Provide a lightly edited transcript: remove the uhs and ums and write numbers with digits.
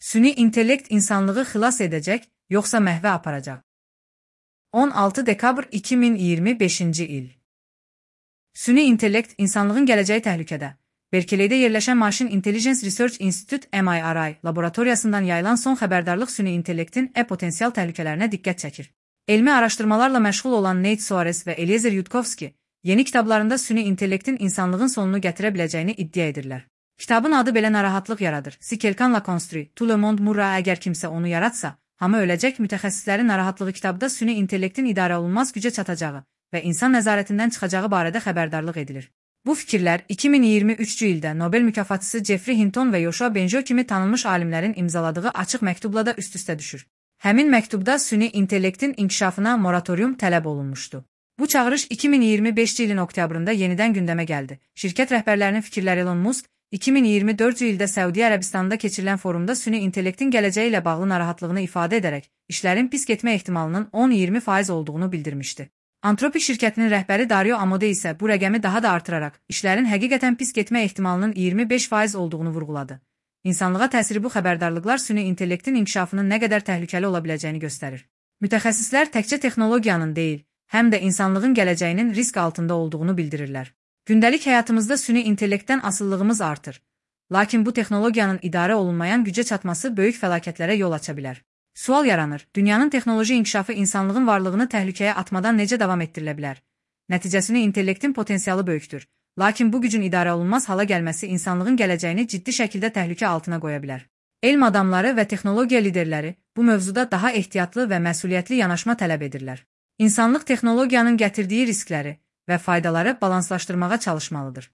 Süni intellekt insanlığı xilas edəcək, yoxsa məhvə aparacaq? 16 dekabr 2025-ci il. Süni intellekt insanlığın gələcəyi təhlükədə. Berkeleydə yerləşən Machine Intelligence Research Institute (MIRI) laboratoriyasından yayılan son xəbərdarlıq süni intellektin potensial təhlükələrinə diqqət çəkir. Elmi araşdırmalarla məşğul olan Nate Soares və Eliezer Yudkowsky yeni kitablarında süni intellektin insanlığın sonunu gətirə biləcəyini iddia edirlər. Kitabın adı belə narahatlıq yaradır. Si quelqu'un l'a construit, tout le monde mourra. Əgər kimsə onu yaratsa, hamı öləcək. Mütəxəssislərin narahatlığı kitabda süni intellektin idarə olunmaz gücə çatacağı və insan nəzarətindən çıxacağı barədə xəbərdarlıq edilir. Bu fikirlər 2023-cü ildə Nobel mükafatçısı Jeffrey Hinton və Yoshua Bengio kimi tanınmış alimlərin imzaladığı açıq məktubla da üst-üstə düşür. Həmin məktubda süni intellektin inkişafına moratorium tələb olunmuşdu. Bu çağırış 2025-ci ilin oktyabrında yenidən gündəmə gəldi. Şirkət rəhbərlərinin fikirləri Elon Musk 2024-cü ildə Səudiyyə Ərəbistanında keçirilən forumda süni intellektin gələcəyi ilə bağlı narahatlığını ifadə edərək, işlərin pis getmə ehtimalının 10-20% olduğunu bildirmişdi. Anthropic şirkətinin rəhbəri Dario Amodei isə bu rəqəmi daha da artıraraq, işlərin həqiqətən pis getmə ehtimalının 25% olduğunu vurğuladı. İnsanlığa təsiri bu xəbərdarlıqlar süni intellektin inkişafının nə qədər təhlükəli ola biləcəyini göstərir. Mütəxəssislər təkcə texnologiyanın deyil, həm də insanlığın gələcəyinin risk altında olduğunu bildirirlər. Gündəlik həyatımızda süni intellektdən asıllığımız artır. Lakin bu texnologiyanın idarə olunmayan gücə çatması böyük fəlakətlərə yol aça bilər. Sual yaranır, dünyanın texnoloji inkişafı insanlığın varlığını təhlükəyə atmadan necə davam ettirilə bilər? Nəticəsini intellektin potensialı böyükdür. Lakin bu gücün idarə olunmaz hala gəlməsi insanlığın gələcəyini ciddi şəkildə təhlükə altına qoya bilər. Elm adamları və texnologiya liderləri bu mövzuda daha ehtiyatlı və məsuliyyətli yanaşma tələb edirlər. İnsanlıq texnologiyanın gətirdiyi riskləri və faydaları balanslaşdırmağa çalışmalıdır.